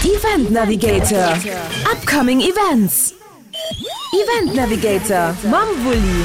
Event Navigator, Upcoming Events. Event Navigator mam Wulli.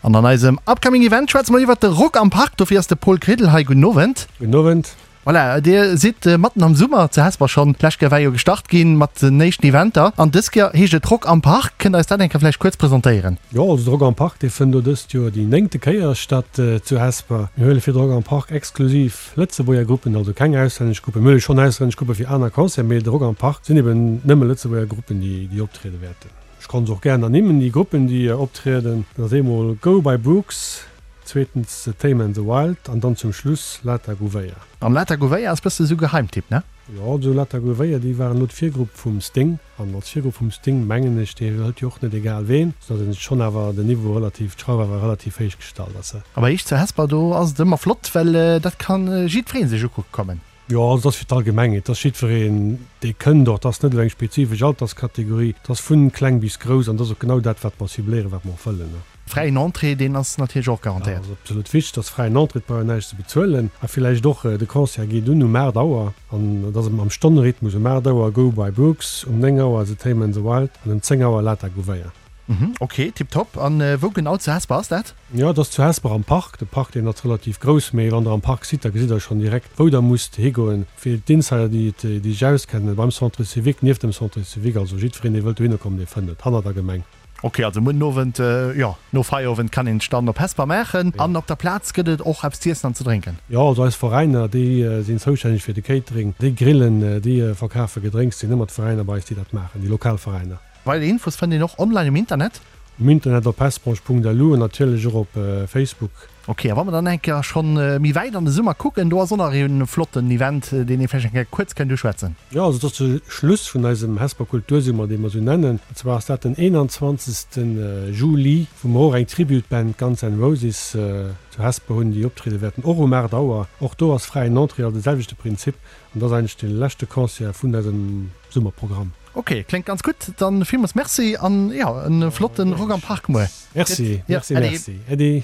An an eisem Upcoming Event schwätze mer iwwert de Rock am Park. Dofir ass de Paul Kridel hei. Gudden Owend. Gudden Owend. Voilà, dir sidd matten am Summer zu Hesper schonn. D'lescht Kéier war jo gestart ginn mat den éischten Eventer an dës Kéier heescht et Rock am Park. Kënnt der eis dat eng Kéier vläicht kuerz presentéieren? Jo, also de Rock am Park, dee fënnt elo dëst Joer déi néngte Kéier statt zu Hesper. Mir huele fir de Rock am Park exklusiv Lëtzebuerger Gruppen, also keng auslännesch Gruppen. Mir huele schonn auslännesch Gruppe fir aner Concerten, mee de Rock am Park sinn eben nëmme Lëtzebuerger Gruppen, déi optriede wäerten. Ech kann se och gären ernimmen, déi Gruppen, déi optrieden. Dat ass eemol Go by Brooks, zweetens The Tame and the Wild an dann zum Schluss Lata Gouveia. An Lata Gouveia ass bësse sou Geheimtipp, ne? Jo, also Lata Gouveia, déi waren elo d'Virgrupp vum Sting. An als Virgrupp vum Sting, mengen ech, dee hëlt jo och net egal ween, soudatt een schonn awer den Niveau relativ, d'Schrauf awer relativ héich gestallt ass. A bei iech zu Hesper, do ass et ëmmer flott, well dat ka jiddweree sech ukucke kommen. Jo, also et ass fir d'Allgemengheet, et ass jiddwereen, dee kënnt och. Et ass net elo eng spezifesch Alterskategorie, et ass vu kleng bis grouss an et ass och genau dat, wat mer cibléieren, wat mer och wëllen. Fräien Entrée, deen ass natierlech och garantéiert. Dat ass absolut wichteg, et ass fräien Entrée, et brauch een näischt ze bezuelen. A villäicht och, de Concert geet un um 8 Auer an et ass am Stonnerhythmus, um 8 Auer Go by Brooks, um 9 Auer The Tame and the Wild an um 10 Auer Lata Gouveia. Mhm, ok, tiptop. An wou genau zu Hesper ass dat? Jo, et ass zu Hesper am Park. De Park, deen ass relativ grouss, mee wann der am Park sidd, da gesitt der schonn direkt, wou der musst higoen. Fir d'Insider, déi et, déi sech auskennen, beim Centre civique, nieft dem Centre civique, also jiddwereen, dee wëllt dohinner kommen, dee fënnt et, hannert der Gemeng. Ok, also muer den Owend, jo, no Feierowend kann een sech dann op Hesper maachen. An op der Plaz gëtt et och eppes z'iessen an ze drénken? Jo, also eis Veräiner, déi sinn zoustänneg fir de Catering, déi grillen, déi verkafe Gedrénks, sinn ëmmer d'Veräiner bei eis, déi dat maachen, déi lokal Veräiner. Weider Infos fënnt een och online um Internet. Um Internet op hesbranche.lu an natierlech och op Facebook. Ok, a wa mer dann eng Kéier schonn méi wäit an de Summer kucken, do ass och nach ee flotten Event, deen ee vläicht eng Kéier kuerz kënnt uschwätzen. Jo, also et ass de Schluss vun eisem Hesper Kultursummer, dee mer esou nennen. An zwar ass dat den 21. Juli, wou mer och eng Tribute Band Guns N' Roses zu Hesper hunn, déi optriede wäerten, och um 8 Auer. Och do ass fräien Entrée, also de selwechte Prinzip. An dat ass eigentlech de leschte Concert vun eisem Summerprogramm. Ok, kléngt ganz gutt. Dann villmools Merci an jo en flotten Rock am Park muer. Merci, merci, merci. Äddi.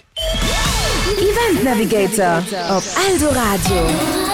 Event Navigator op Eldoradio.